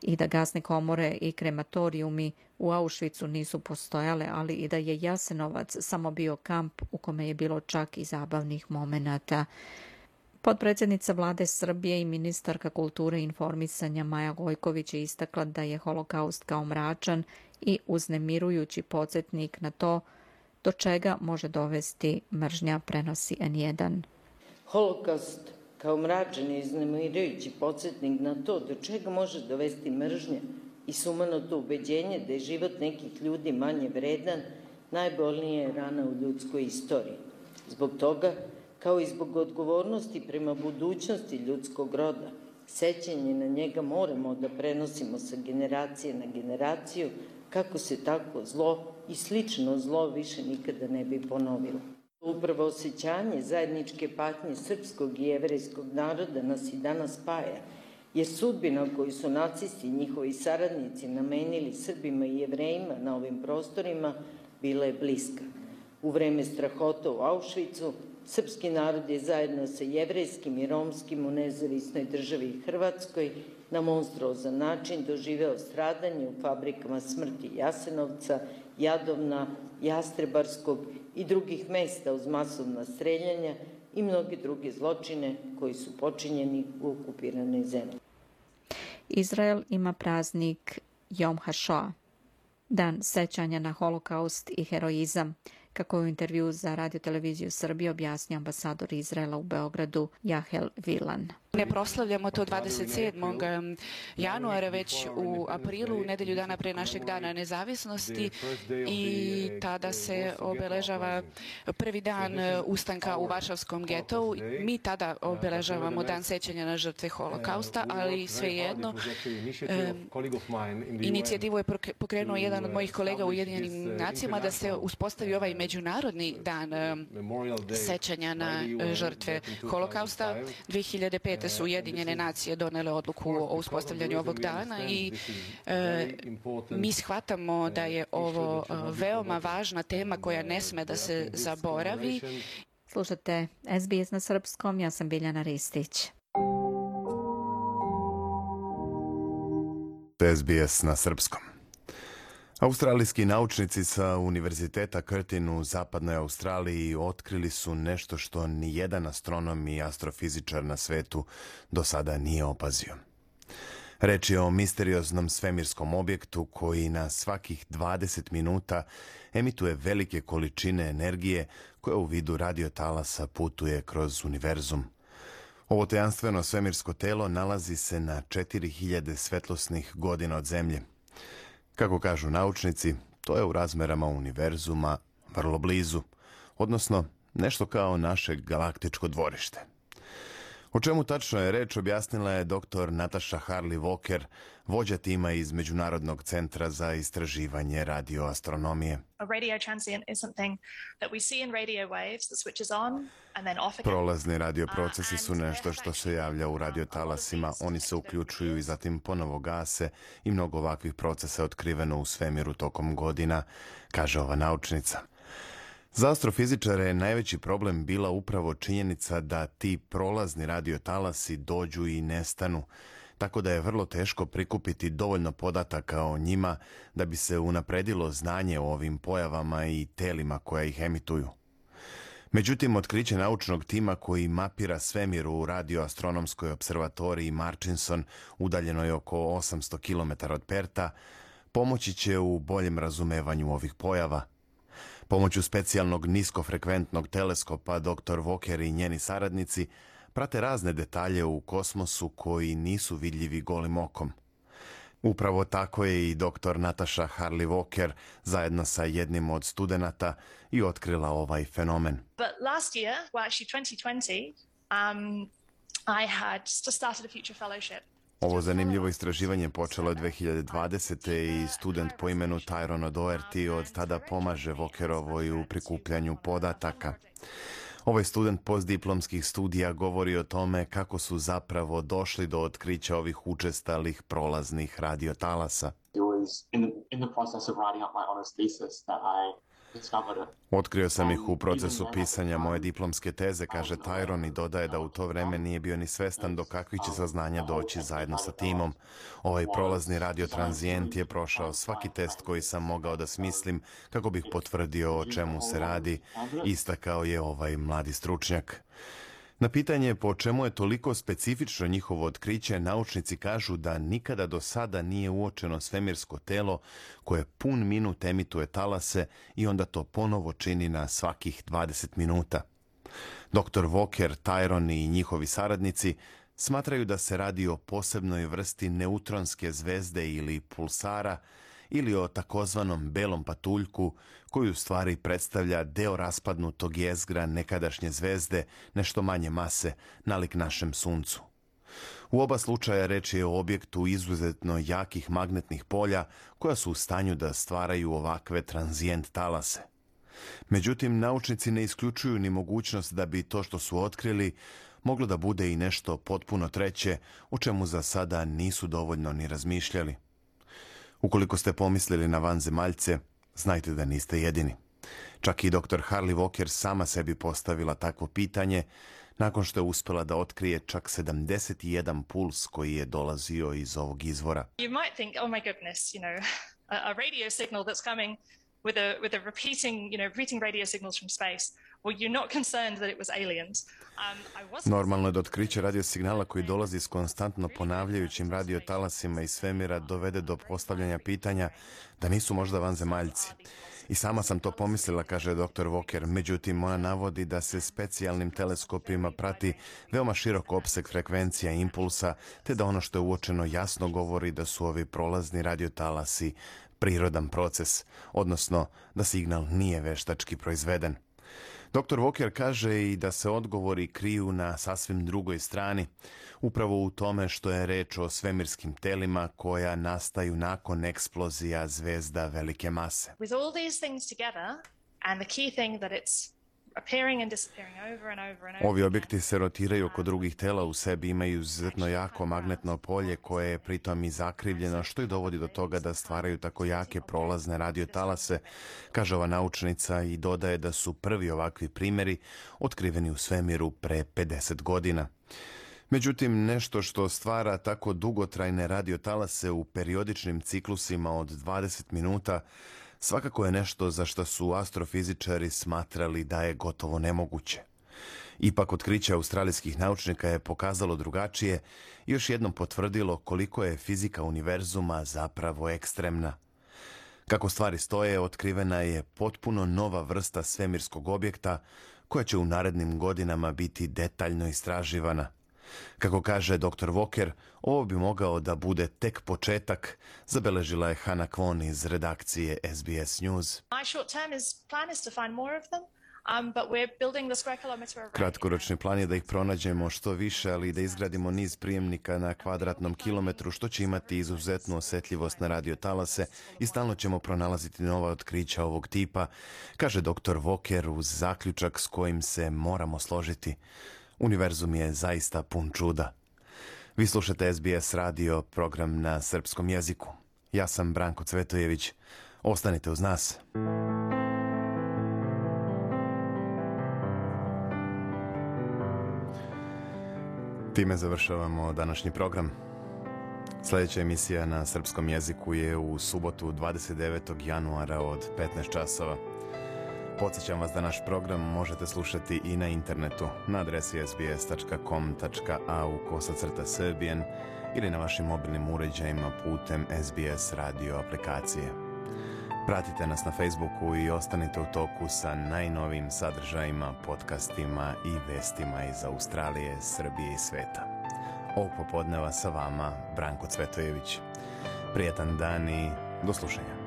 i da gasne komore i krematorijumi u Auschwitzu nisu postojale, ali i da je Jasenovac samo bio kamp u kome je bilo čak i zabavnih momenata. Potpredsjednica vlade Srbije i ministarka kulture i informisanja Maja Gojković je istakla da je holokaust kao mračan i uznemirujući podsjetnik na to do čega može dovesti mržnja, prenosi N1. Holokaust kao mračan i uznemirujući podsjetnik na to do čega može dovesti mržnja i sumanuto ubeđenje da je život nekih ljudi manje vredan, najbolnije je rana u ljudskoj istoriji. Zbog toga, kao i zbog odgovornosti prema budućnosti ljudskog roda, sećanje na njega moramo da prenosimo sa generacije na generaciju, kako se tako zlo i slično zlo više nikada ne bi ponovilo. Upravo osjećanje zajedničke patnje srpskog i jevrejskog naroda nas i danas spaja, jer sudbina koju su nacisti i njihovi saradnici namenili Srbima i Jevrejima na ovim prostorima bila je bliska. U vreme strahota u Auschwitzu, srpski narod je zajedno sa jevrejskim i romskim u nezavisnoj državi Hrvatskoj na monstruozan način doživeo stradanje u fabrikama smrti Jasenovca, Jadovna, Jastrebarskog i drugih mesta uz masovna streljanja i mnoge druge zločine koji su počinjeni u okupiranoj zemlji. Izrael ima praznik Jom HaShoah, dan sećanja na holokaust i heroizam, kako je u intervju za Radio-televiziju Srbije objasnio ambasador Izraela u Beogradu Jahel Vilan. Ne proslavljamo to 27. januara, već u aprilu, nedelju dana pre našeg dana nezavisnosti, i tada se obeležava prvi dan ustanka u Varšavskom getovu. Mi tada obeležavamo dan sećanja na žrtve holokausta, ali svejedno inicijativu je pokrenuo jedan od mojih kolega u Ujedinjenim nacijama da se uspostavi ovaj međunarodni dan sećanja na žrtve holokausta. 2005. su Ujedinjene nacije donele odluku o uspostavljanju ovog dana i mi shvatamo da je ovo veoma važna tema koja ne sme da se zaboravi. Slušate SBS na srpskom, ja sam Biljana Ristić. SBS na srpskom. Australijski naučnici sa Univerziteta Curtin u zapadnoj Australiji otkrili su nešto što nijedan astronom i astrofizičar na svetu do sada nije opazio. Reč je o misterioznom svemirskom objektu koji na svakih 20 minuta emituje velike količine energije koja u vidu radiotalasa putuje kroz univerzum. Ovo tajanstveno svemirsko telo nalazi se na 4000 svetlosnih godina od Zemlje. Kako kažu naučnici, to je u razmerama univerzuma vrlo blizu, odnosno nešto kao naše galaktičko dvorište. O čemu tačno je reč objasnila je dr. Natasha Harley-Walker, vođa tima iz Međunarodnog centra za istraživanje radioastronomije. Prolazni radioprocesi su nešto što se javlja u radiotalasima, oni se uključuju i zatim ponovo gase i mnogo ovakvih procesa je otkriveno u svemiru tokom godina, kaže ova naučnica. Za astrofizičare je najveći problem bila upravo činjenica da ti prolazni radiotalasi dođu i nestanu, tako da je vrlo teško prikupiti dovoljno podataka o njima da bi se unapredilo znanje o ovim pojavama i telima koja ih emituju. Međutim, otkriće naučnog tima koji mapira svemir u radioastronomskoj observatoriji Murchison, udaljenoj oko 800 km od Perta, pomoći će u boljem razumevanju ovih pojava. Pomoću specijalnog niskofrekventnog teleskopa dr. Walker i njeni saradnici prate razne detalje u kosmosu koji nisu vidljivi golim okom. Upravo tako je i dr. Natasha Harley-Walker zajedno sa jednim od studenata i otkrila ovaj fenomen. But last year, well actually 2020, I had just started a future fellowship. Ovo zanimljivo istraživanje počelo je 2020. i student po imenu Tyrone O'Doherty od tada pomaže Walkerovoj u prikupljanju podataka. Ovaj student postdiplomskih studija govori o tome kako su zapravo došli do otkrića ovih učestalih prolaznih radiotalasa. Otkrio sam ih u procesu pisanja moje diplomske teze, kaže Tyrone, i dodaje da u to vreme nije bio ni svestan do kakvih će saznanja doći zajedno sa timom. Ovaj prolazni radiotranzijent je prošao svaki test koji sam mogao da smislim kako bih potvrdio o čemu se radi, istakao je ovaj mladi stručnjak. Na pitanje po čemu je toliko specifično njihovo otkriće, naučnici kažu da nikada do sada nije uočeno svemirsko telo koje pun minut emituje talase i onda to ponovo čini na svakih 20 minuta. Dr. Walker, Tyrone i njihovi saradnici smatraju da se radi o posebnoj vrsti neutronske zvezde ili pulsara ili o takozvanom belom patuljku, koji u stvari predstavlja deo raspadnutog jezgra nekadašnje zvezde, nešto manje mase, nalik našem suncu. U oba slučaja reč je o objektu izuzetno jakih magnetnih polja koja su u stanju da stvaraju ovakve tranzijent talase. Međutim, naučnici ne isključuju ni mogućnost da bi to što su otkrili moglo da bude i nešto potpuno treće, o čemu za sada nisu dovoljno ni razmišljali. Ukoliko ste pomislili na vanzemaljce, znajte da niste jedini. Čak i dr. Harley Walker sama sebi postavila takvo pitanje, nakon što je uspela da otkrije čak 71 puls koji je dolazio iz ovog izvora. You might think, oh my goodness, a radio signal that's coming with a repeating radio signals from space. Well, you're not concerned that it was aliens. Normalno je da otkriće radio signala koji dolazi s konstantno ponavljajućim radiotalasima iz svemira dovede do postavljanja pitanja da nisu možda vanzemaljci. I sama sam to pomislila, kaže dr. Walker, međutim ona navodi da se specijalnim teleskopima prati veoma širok opseg frekvencija impulsa, te da ono što je uočeno jasno govori da su ovi prolazni radiotalasi prirodan proces, odnosno da signal nije veštački proizveden. Dr. Walker kaže i da se odgovori kriju na sasvim drugoj strani, upravo u tome što je reč o svemirskim telima koja nastaju nakon eksplozija zvezda velike mase. With all these things together, and the key thing that it's appearing and disappearing over and over and over. Ovi objekti se rotiraju oko drugih tela, u sebi imaju izuzetno jako magnetno polje koje je pritom i zakrivljeno, što i dovodi do toga da stvaraju tako jake prolazne radiotalase, kaže ova naučnica i dodaje da su prvi ovakvi primjeri otkriveni u svemiru pre 50 godina. Međutim, nešto što stvara tako dugotrajne radiotalase u periodičnim ciklusima od 20 minuta svakako je nešto za što su astrofizičari smatrali da je gotovo nemoguće. Ipak otkriće australijskih naučnika je pokazalo drugačije i još jednom potvrdilo koliko je fizika univerzuma zapravo ekstremna. Kako stvari stoje, otkrivena je potpuno nova vrsta svemirskog objekta koja će u narednim godinama biti detaljno istraživana. Kako kaže dr. Walker, ovo bi mogao da bude tek početak, zabeležila je Hannah Kwon iz redakcije SBS News. Kratkoročni plan je da ih pronađemo što više, ali i da izgradimo niz prijemnika na kvadratnom kilometru, što će imati izuzetnu osjetljivost na radiotalase i stalno ćemo pronalaziti nova otkrića ovog tipa, kaže dr. Walker uz zaključak s kojim se moramo složiti. Univerzum je zaista pun čuda. Vi slušate SBS radio, program na srpskom jeziku. Ja sam Branko Cvetojević. Ostanite uz nas. Time završavamo današnji program. Sljedeća emisija na srpskom jeziku je u subotu 29. januara od 15 časova. Podsjećam vas da naš program možete slušati i na internetu na adresi sbs.com.au/serbian ili na vašim mobilnim uređajima putem SBS radio aplikacije. Pratite nas na Facebooku i ostanite u toku sa najnovijim sadržajima, podcastima i vestima iz Australije, Srbije i sveta. Ovog popodneva sa vama Branko Cvetojević. Prijetan dan i do slušanja.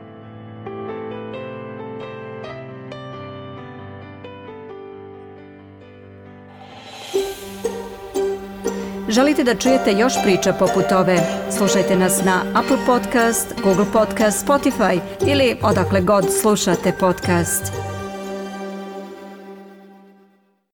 Želite da čujete još priča poput ove? Slušajte nas na Apple Podcast, Google Podcast, Spotify ili odakle god slušate podcast.